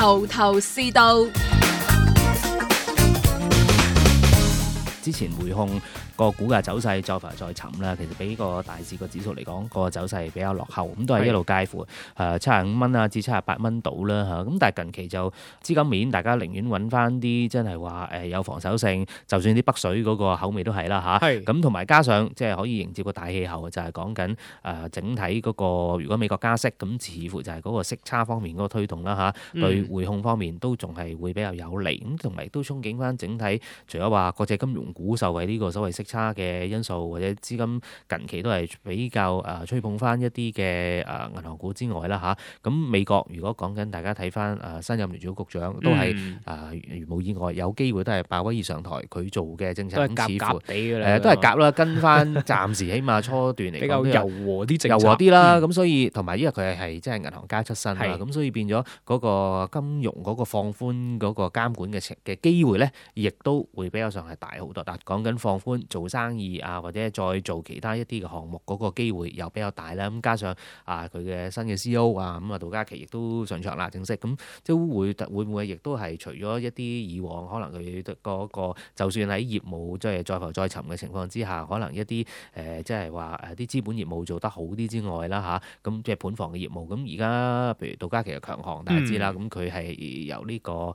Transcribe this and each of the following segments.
頭頭是道。之前匯控個股價走勢再浮再沉啦，其實比個大市個指數嚟講，個走勢比較落後，咁都係一路介乎75蚊啊至78蚊到啦嚇。咁但係近期就資金面，大家寧願揾翻啲真係話有防守性，就算啲北水嗰個口味都係啦嚇。咁同埋加上即係可以迎接個大氣候，就係講緊整體嗰個如果美國加息，咁似乎就係嗰個息差方面嗰個推動啦嚇，對匯控方面都仲係會比較有利。咁同埋都憧憬翻整體，除咗話國際金融股受惠呢個所謂息差嘅因素，或者資金近期都係比較吹捧翻一啲嘅銀行股之外啦嚇，咁美國如果講緊大家睇翻新任聯儲局長都係如無意外有機會都係鮑威爾上台，佢做嘅政策都係夾地㗎啦，都係夾啦，跟翻暫時起碼初段嚟講比較柔和啲政策，柔和啲啦。咁所以同埋因為佢係即係銀行家出身啦，咁所以變咗嗰個金融嗰個放寬嗰個監管嘅機會咧，亦都會比較上係大好多。但講緊放寬做生意啊，或者再做其他一啲嘅項目嗰個機會又比較大啦。咁加上佢嘅新嘅 CEO 啊，咁杜嘉祺亦都上場啦，正式咁即係會唔會亦都係除咗一啲以往可能佢嗰個就算喺業務即係再浮再沉嘅情況之下，可能一啲即係話啲資本業務做得好啲之外啦嚇，咁即係盤房嘅業務。咁而家譬如杜嘉祺嘅強項，大家知啦，咁佢係由呢個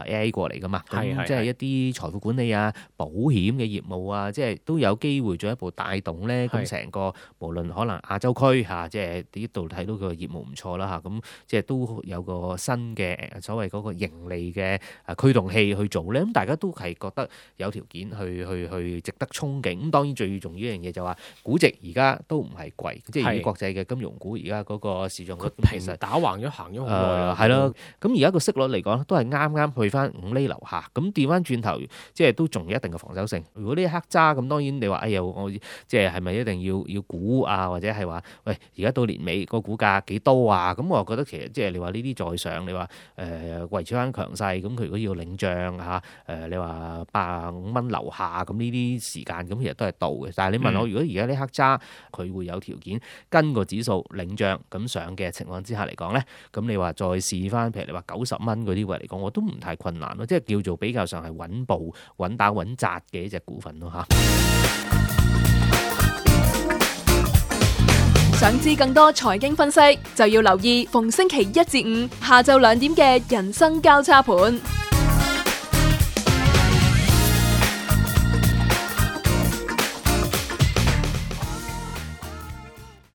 AI 過嚟噶嘛，咁即係一啲財富管理啊、保險嘅業務啊，即係都有機會進一步帶動咧。咁成個無論可能亞洲區嚇，即係呢度睇到佢嘅業務唔錯啦嚇，咁即係都有個新嘅所謂嗰個盈利嘅驅動器去做咧。咁大家都係覺得有條件去值得憧憬。咁當然最重要一樣嘢就話估值而家都唔係貴，即係以國際嘅金融股而家嗰個市場率其實打橫咗行咗好耐係咯。咁而家個息率嚟講都係啱啱去翻5厘樓下。咁調翻轉頭，即係都仲有一定嘅防守性。如果呢一刻揸咁，當然你話哎呀，我即係咪一定要估啊？或者係話喂，而家到年尾個股價幾多啊？咁我覺得其實即係你話呢啲在上，你話維持翻強勢，咁佢如果要領漲嚇你話85蚊樓下，咁呢啲時間咁其實都係到嘅。但係你問我，如果而家呢刻揸，佢會有條件跟個指數領漲咁上嘅情況之下嚟講咧，咁你話再試翻，譬如你話90蚊嗰啲位嚟講，我都唔太困難咯，即係叫做比較上係穩步、穩打穩紮嘅一隻股份咯嚇。想知更多財經分析，就要留意逢星期1至5下晝2點嘅人生交叉盤。